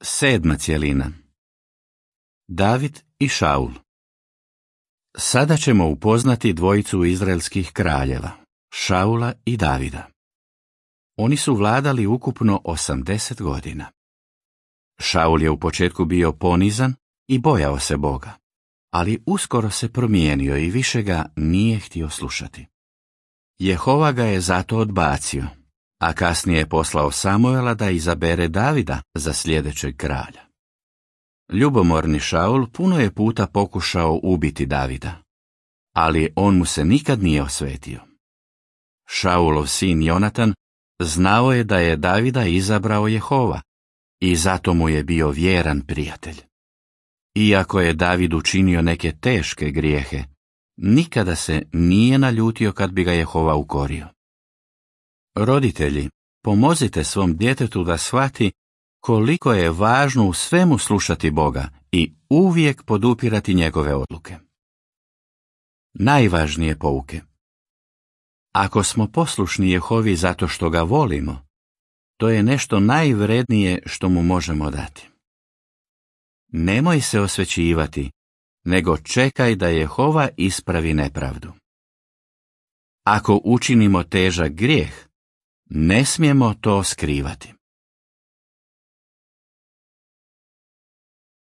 Sedma cjelina. David i Šaul. Sada ćemo upoznati dvojicu izraelskih kraljeva, Šaula i Davida. Oni su vladali ukupno 80 godina. Šaul je u početku bio ponizan i bojao se Boga, ali uskoro se promijenio i više ga nije htio slušati. Jehova ga je zato odbacio, a kasnije je poslao Samuela da izabere Davida za sljedećeg kralja. Ljubomorni Šaul puno je puta pokušao ubiti Davida, ali on mu se nikad nije osvetio. Šaulov sin Jonatan znao je da je Davida izabrao Jehova i zato mu je bio vjeran prijatelj. Iako je David učinio neke teške grijehe, nikada se nije naljutio kad bi ga Jehova ukorio. Roditelji, pomozite svom djetetu da shvati koliko je važno u svemu slušati Boga i uvijek podupirati njegove odluke. Najvažnije pouke. Ako smo poslušni Jehovi zato što ga volimo, to je nešto najvrednije što mu možemo dati. Nemoj se osvećivati, nego čekaj da Jehova ispravi nepravdu. Ako učinimo težak grijeh, ne smijemo to skrivati.